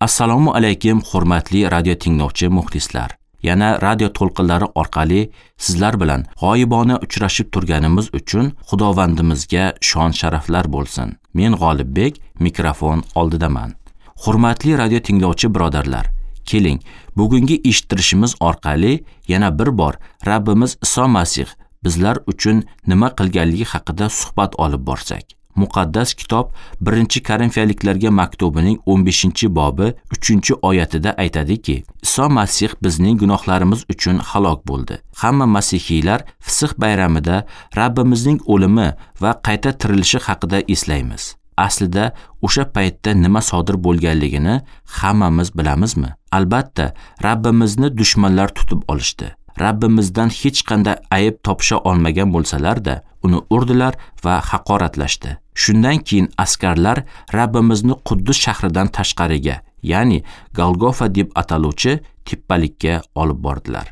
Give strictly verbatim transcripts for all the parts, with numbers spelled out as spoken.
Assalomu alaykum hurmatli radio tinglovchi muxlislar. Yana radio to'lqinlari orqali sizlar bilan g'oyibona uchrashib turganimiz uchun Xudovandimizga shon sharaflar bo'lsin. Men G'olibbek mikrofon oldidaman. Hurmatli radio tinglovchi birodarlar, keling, bugungi eshittirishimiz orqali yana bir bor Rabbimiz Iso Masih bizlar uchun nima qilganligi haqida suhbat olib borsak. Muqaddas kitob birinchi Korinfiyaliklarga maktubining o'n beshinchi bobi uchinchi oyatida aytadiki, Iso Masih bizning gunohlarimiz uchun halok bo'ldi. Hamma masihiylar Fisix bayramida Rabbimizning o'limi va qayta tirilishi haqida eslaymiz. Aslida o'sha paytda nima sodir bo'lganligini hammamiz bilamizmi? Albatta, Rabbimizni dushmanlar tutib olishdi. Rabbimizdan hech qanday ayb topisha olmagan bo'lsalar-da, uni urdilar va haqoratlashdi. Shundan keyin askarlar Rabbimizni Quddus shahridan tashqariga, ya'ni Golgofa deb ataluvchi tepalikka olib bordilar.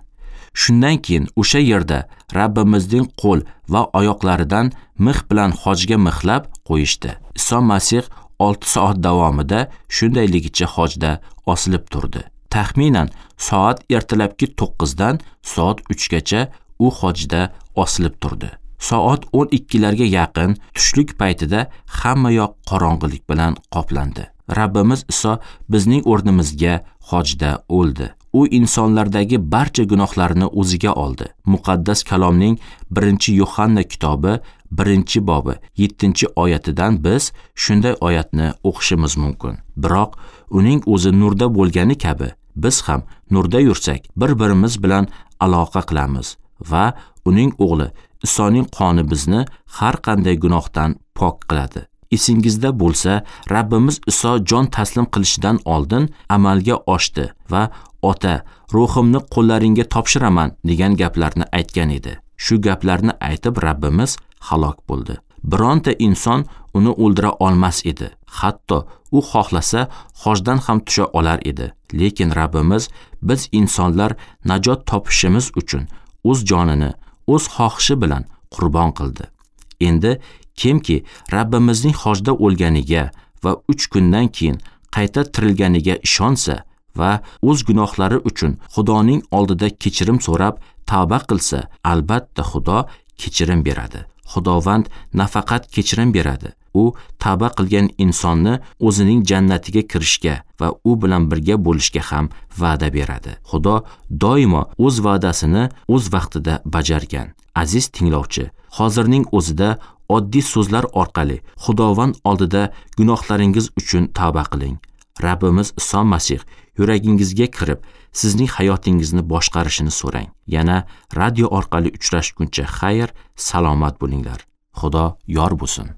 Shundan keyin o'sha yerda Rabbimizning qo'l va oyoqlaridan mix bilan hojga mixlab qo'yishdi. Iso Masih olti soat davomida shundayligicha hojda osilib turdi. Taxminan soat ertalabki to'qqizdan soat uchgacha u hojda osilib turdi. Soat o'n ikkilarga yaqin tushlik paytida hamma yoq qorong'ilik bilan qoplandi. Rabbimiz Iso bizning o'rnimizga hojda o'ldi. U insonlardagi barcha gunohlarni o'ziga oldi. Muqaddas kalomning birinchi Yohanna kitobi birinchi bobi yettinchi oyatidan biz shunday oyatni o'qishimiz mumkin. Biroq uning o'zi nurda bo'lgani kabi biz ham nurda yursak, bir-birimiz bilan aloqa qilamiz va uning o'g'li Isoning qoni bizni har qanday gunohdan pok qiladi. Esingizda bo'lsa, Rabbimiz Iso jon taslim qilishidan oldin amalga oshdi va Ota, ruhimni qo'llaringga topshiraman degan gaplarni aytgan edi. Shu gaplarni aytib Rabbimiz halok bo'ldi. Bironta inson uni o'ldira olmas edi. Hatto u xohlasa hojdan ham tusha olar edi. Lekin Rabbimiz biz insonlar najot topishimiz uchun o'z jonini o'z xohishi bilan qurbon qildi. Endi kimki Rabbimizning hojda o'lganiga va uch kundan keyin qayta tirilganiga ishonsa va o'z gunohlari uchun Xudoning oldida kechirim so'rab tavba qilsa, albatta Xudo kechirim beradi. Xudovand nafaqat kechirim beradi, u tavba qilgan insonni o'zining jannatiga kirishga va u bilan birga bo'lishga ham va'da beradi. Xudo doimo o'z va'dasini o'z vaqtida bajargan. Aziz tinglovchi, hozirning o'zida oddiy so'zlar orqali Xudovand oldida gunohlaringiz uchun tavba qiling. Rabbimiz Iso Masih yuragingizga kirib, sizning hayotingizni boshqarishini so'rang. Yana radio orqali uchrashguncha xayr, salomat bo'linglar. Xudo yor bo'lsin.